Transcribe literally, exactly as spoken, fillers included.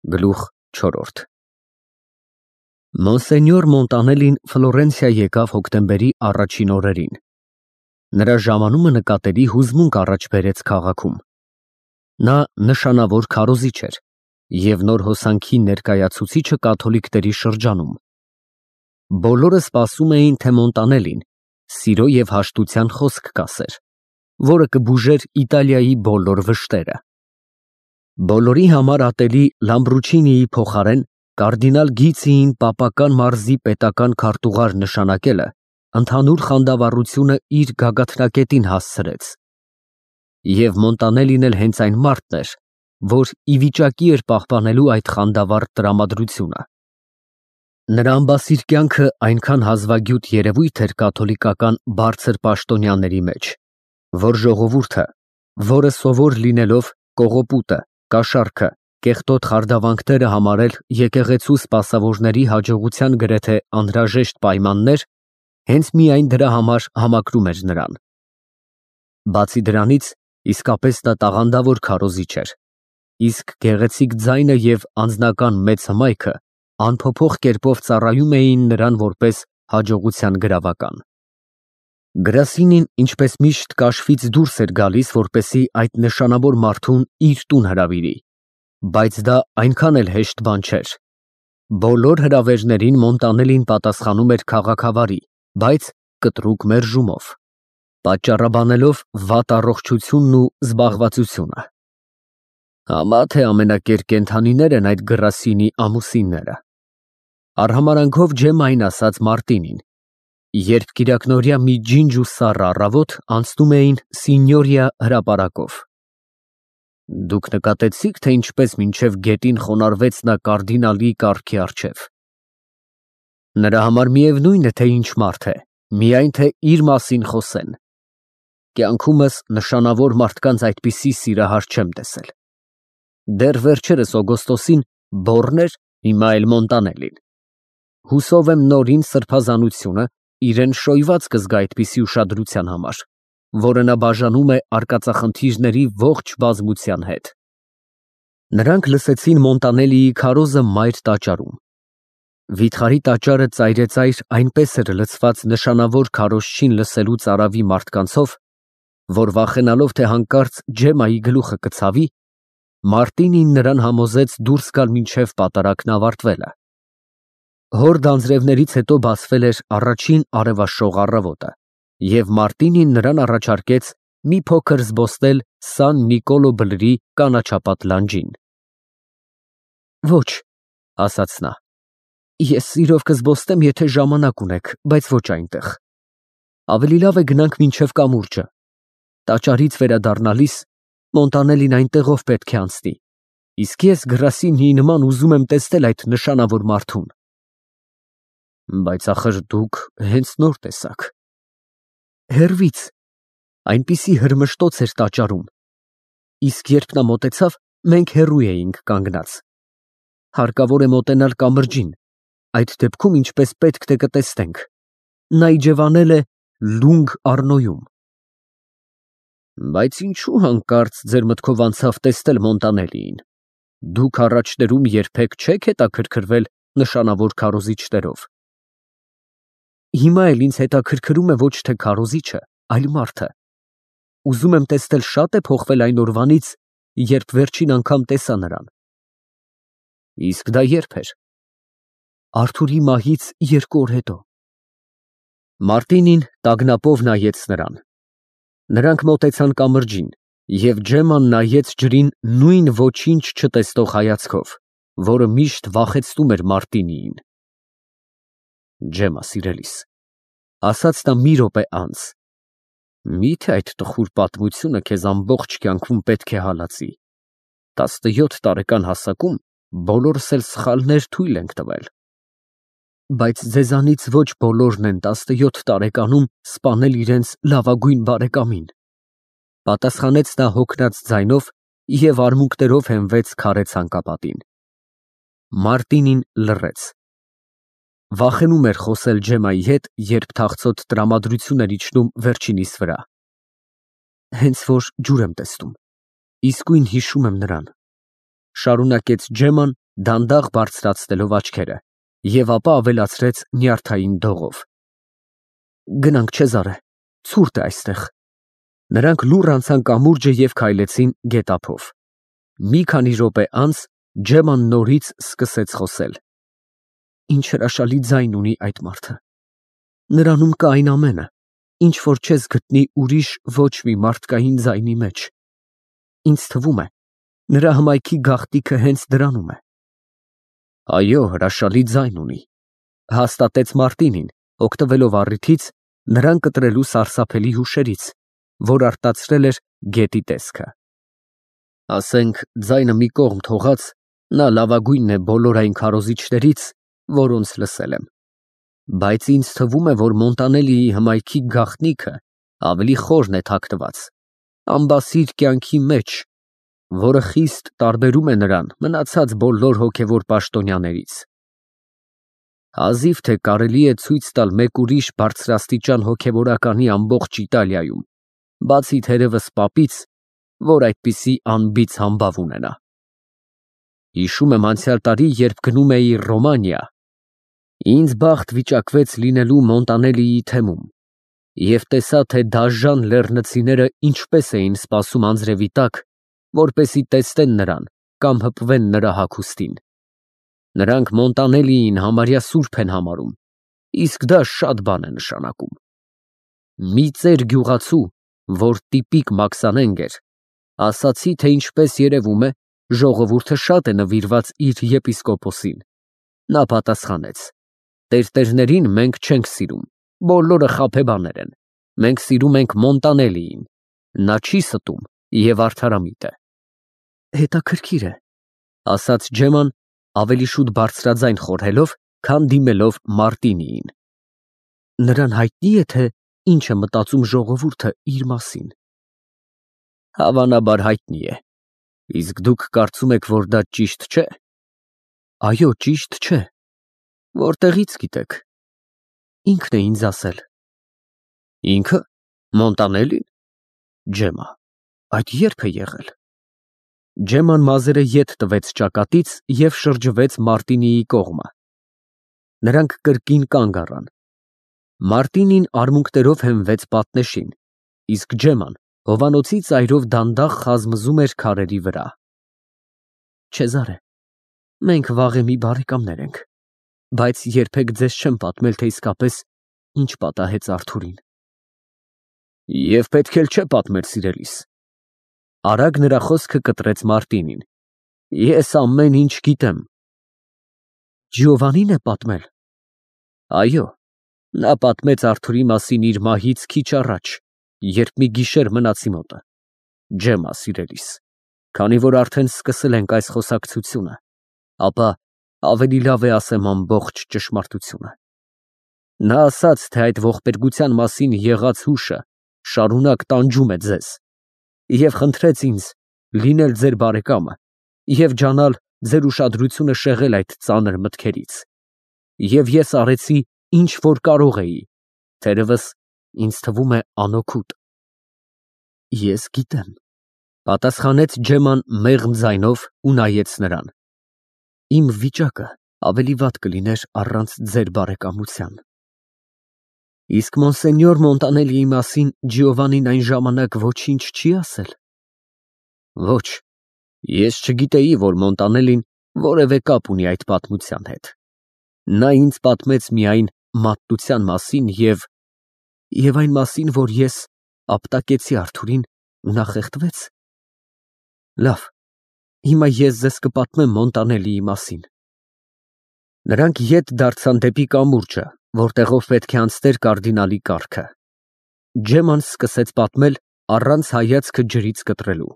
Գլուխ չորրորդ Մոնսենյոր Մոնտանելին Ֆլորենցիա եկավ հոկտեմբերի առաջին օրերին։ Նրա ժամանումը նկատելի հուզմունք առաջ բերեց քաղաքում։ Նա նշանավոր քարոզիչ էր և նոր հոսանքի ներկայացուցիչը կաթոլիկների շրջանում։ Բոլորը սպասում էին, թե Մոնտանելին սիրո և հաշտության խոսք կասեր, որը կբուժեր Իտալիայի բոլոր վշտերը։ Բոլորի համար ատելի Լամբրուչինիի փոխարեն կարդինալ Գիցիին պապական մարզի պետական քարտուղար նշանակելը ընդհանուր խանդավառությունը իր գագաթնակետին հասցրեց։ Եվ Մոնտանելին էլ հենց այն մարդն էր, որ ի վիճակի էր պահպանելու այդ խանդավառ տրամադրությունը։ Նրա ամբասիր կյանքը այնքան հազվագյուտ երևույթ էր կաթոլիկական բարձր պաշտոնյաների մեջ, որ ժողովուրդը, որը սովոր լինելով կողոպուտը, կաշառքը, կեղտոտ խարդավանքները համարել եկեղեցու սպասավորների հաջողության գրեթե անհրաժեշտ պայմաններ, հենց միայն դրա համար համակրում էր նրան։ Բացի դրանից, իսկապես նա տաղանդավոր քարոզիչ էր, իսկ գեղեցիկ ձայնը և անձնական մեծ հմայքը անփոփոխ կերպով ծառայում էին նրան որպես հաջողության գրավական։ Գրասինին ինչպես միշտ կաշվից դուրս էր գալիս, որպեսզի այդ նշանավոր մարդուն իր տուն հրավիրի, բայց դա այնքան էլ հեշտ բան չէր։ Բոլոր հրավերներին Մոնտանելին պատասխանում էր քաղաքավարի, բայց կտրուկ մերժումով, պատճառաբանելով վատ առողջությունն ու զբաղվածությունը։ Համա թե ամենակեր կենդանիներ են այդ Գրասինի ամուսինները։ Արհամարանքով Ջեմմային ասաց Մարտինին, երբ կիրակնօրյա մի ջինջ ու սառը առավոտ անցնում էին Սինյորիա հրապարակով։ Դուք նկատեցի՞ք, թե ինչպես մինչև գետին խոնարհվեց նա կարդինալի կառքի առջև։ Նրա համար միևնույն է, թե ինչ մարդ է, միայն թե իր մասին խոսեն։ Կյանքումս նշանավոր մարդկանց այդպիսի սիրահար չեմ տեսել։ Դեռ վերջերս Օգոստոսին բոռն էր, հիմա էլ Մոնտանելին։ Հուսով եմ նորին սրբազանությունը իրեն շոյված կզգա այդպիսի ուշադրության համար, որը նա բաժանում է արկածախնդիրների ողջ բազմության հետ։ Նրանք լսեցին Մոնտանելիի քարոզը մայր տաճարում։ Վիթխարի տաճարը ծայրեծայր այնպես էր լցված նշանավոր քարոզչին լսելու ծարավի մարդկանցով, որ վախենալով, թե հանկարծ Ջեմմայի գլուխը կցավի, Մարտինին նրան համոզեց դուրս գալ մինչև պատարագն ավարտվելը։ Հորդ անձրևներից հետո բացվել էր առաջին արևաշող առավոտը, և Մարտինին նրան առաջարկեց մի փոքր զբոսնել Սան Նիկոլո բլրի կանաչապատ լանջին։ Ոչ, ասաց նա, ես սիրով կզբոսնեմ, եթե ժամանակ ունեք, բայց ոչ այնտեղ։ Ավելի լավ է գնանք մինչև կամուրջը։ Տաճարից վերադառնալիս Մոնտանելին այնտեղով պետք է անցնի, իսկ ես Գրասինիի նման ուզում եմ տեսնել այդ նշանավոր մարդուն։ Բայց ախր դուք հենց նոր տեսաք։ Հեռվից, այնպիսի հրմշտոց էր տաճարում, իսկ երբ նա մոտեցավ, մենք հեռու էինք կանգնած։ Հարկավոր է մոտենալ կամրջին, այդ դեպքում ինչպես պետք թե կտեսնենք, նա իջևանել է Լունգ Առնոյում։ Բայց ինչու հանկարծ ձեր մտքով անցավ տեսնել Մոնտանելիին։ Դուք առաջներում երբեք չեք հետաքրքրվել նշանավոր քարոզիչներով։ Հիմա էլ ինձ հետաքրքրում է ոչ թե քարոզիչը, այլ մարդը։ Ուզում եմ տեսնել շատ է փոխվել այն օրվանից, երբ վերջին անգամ տեսա նրան։ Իսկ դա երբ էր։ Արթուրի մահից երկու օր հետո։ Մարտինին տագնապով նայեց նրան։ Նրանք մոտեցան կամրջին, և Ջեմման նայեց ջրին նույն ոչինչ չտեսնող հայացքով, որը միշտ վախեցնում էր Մարտինիին։ Ջեմմա սիրելիս, ասաց նա մի րոպե անց, միթե այդ տխուր պատմությունը քեզ ամբողջ կյանքում պետք է հալածի։ Տասնյոթ տարեկան հասակում բոլորս էլ սխալներ թույլ ենք տվել։ Բայց ձեզանից ոչ բոլորն են տասնյոթ տարեկանում սպանել իրենց լավագույն բարեկամին, պատասխանեց նա հոգնած ձայնով և արմունկներով հենվեց քարե ցանկապատին։ Մարտինին լռեց։ Վախենում էր խոսել Ջեմմայի հետ, երբ թախծոտ տրամադրություն էր իջնում վերջինիս վրա։ Հենց որ ջուր եմ տեսնում, իսկույն հիշում եմ նրան, շարունակեց Ջեմման դանդաղ բարձրացնելով աչքերը, և ապա ավելացրեց նյարդային դողով. Գնանք, Չեզարե, ցուրտ է այստեղ։ Նրանք լուռ անցան կամուրջը և քայլեցին գետափով։ Մի քանի րոպե անց Ջեման նորից սկսեց խոսել. Ինչ հրաշալի ձայն ունի այդ մարդը։ Նրանում կա այն ամենը, ինչ որ չես գտնի ուրիշ ոչ մի մարդկային ձայնի մեջ։ Ինձ թվում է, նրա հմայքի գաղտնիքը հենց դրանում է։ Այո, հրաշալի ձայն ունի, հաստատեց Մարտինին, օգտվելով առիթից նրան կտրելու սարսափելի հուշերից, որ արտացրել էր գետի տեսքը։ Ասենք, ձայնը մի կողմ թողած, նա լավագույնն է բոլոր այն քարոզիչներից, որոնց լսել եմ։ Բայց ինձ թվում է, որ Մոնտանելիի հմայքի գաղտնիքը ավելի խորն է թաքնված, ամբասիր կյանքի մեջ, որը խիստ տարբերում է նրան մնացած բոլոր հոգևոր պաշտոնյաներից։ Հազիվ թե կարելի է ցույց տալ մեկ ուրիշ բարձրաստիճան հոգևորականի ամբողջ Իտալիայում, բացի թերևս պապից, որ այդպիսի անբիծ համբավ ունենա։ Հիշում եմ անցյալ տարի, երբ գնում էի Ռոմանիա, ինձ բախտ վիճակվեց լինելու Մոնտանելիի թեմում և տեսա, թե դաժան լեռնցիները ինչպես էին սպասում անձրևի տակ, որպեսզի տեսնեն նրան կամ հպվեն նրա հագուստին։ Նրանք Մոնտանելիին համարյա սուրբ են համարում, իսկ դա շատ բան է նշանակում։ Մի ծեր գյուղացու, որ տիպիկ մաքսանենգ էր, ասացի, թե ինչպես երևում է, ժողովուրդը շատ է նվիրված իր եպիսկոպոսին։ Նա պատասխանեց. տերտերներին մենք չենք սիրում, բոլորը խաբեբաներ են, մենք սիրում ենք Մոնտանելիին, նա չի ստում և արդարամիտ է։ Հետաքրքիր է, ասաց Ջեման, ավելի շուտ բարձրաձայն խորհելով, քան դիմելով Մարտինիին։ Նրան հայտնի է, թե ինչ է մտածում ժողովուրդը իր մասին։ Հավանաբար հայտնի է, իսկ դուք կարծում եք, որ դա ճիշտ չէ։ Այո, ճիշտ չէ։ Որտեղից գիտեք։ Ինքն է ինձ ասել։ Ինքը, Մոնտանելին։ Ջեմա, այդ երբ է եղել։ Ջեման մազերը ետ տվեց ճակատից և շրջվեց Մարտինիի կողմը։ Նրանք կրկին կանգ առան։ Մարտինին արմունկներով հենվեց պատնեշին, իսկ Ջեման հովանոցի ծայրով դանդաղ խազմզում էր քարերի վրա։ Չեզարե, մենք վաղեմի բարեկամներ ենք, բայց երբեք ձեզ չեմ պատմել, թե իսկապես ինչ պատահեց Արթուրին։ Եվ պետք էլ չէ պատմեր, սիրելիս։ Արագ նրա խոսքը կտրեց Մարտինին։ Ես ամեն ինչ գիտեմ։ Ջիովանին է պատմել։ Այո, նա պատմեց Արթուրի մասին իր մահից քիչ առաջ, երբ մի գիշեր մնաց իմ մոտը։ Ջեմա, սիրելիս, քանի որ արդեն սկսել ենք այս խոսակցությունը, ապա ավելի լավ է ասեմ ամբողջ ճշմարտությունը։ Նա ասաց, թե այդ ողբերգության մասին եղած հուշը շարունակ տանջում է ձեզ և խնդրեց ինձ լինել ձեր բարեկամը և ջանալ ձեր ուշադրությունը շեղել այդ ծանր մտքերից։ Եվ ես արեցի, ինչ որ կարող էի, թերևս ինձ թվում է անօգուտ։ Ես գիտեմ, պատասխանեց Ջեման մեղմ ձայնով ու նայեց նրան։ Իմ վիճակը ավելի վատ կլիներ առանց ձեր բարեկամության։ Իսկ Մոնսենյոր Մոնտանելիի մասին Ջիովանին այն ժամանակ ոչինչ չի ասել։ Ոչ, ես չգիտեի, որ Մոնտանելին որևէ կապ ունի այդ պատմության հետ։ Նա ինձ պատմեց միայն մատտության մասին և… և այն մասին, որ ես ապտակեցի Արթուրին ու նա խեղդվեց։ Լավ, հիմա ես ձեզ կպատմեմ Մոնտանելիի մասին։ Նրանք ետ դարձան դեպի կամուրջը, որտեղով պետք է անցներ կարդինալի կառքը։ Ջեման սկսեց պատմել առանց հայացքը ջրից կտրելու։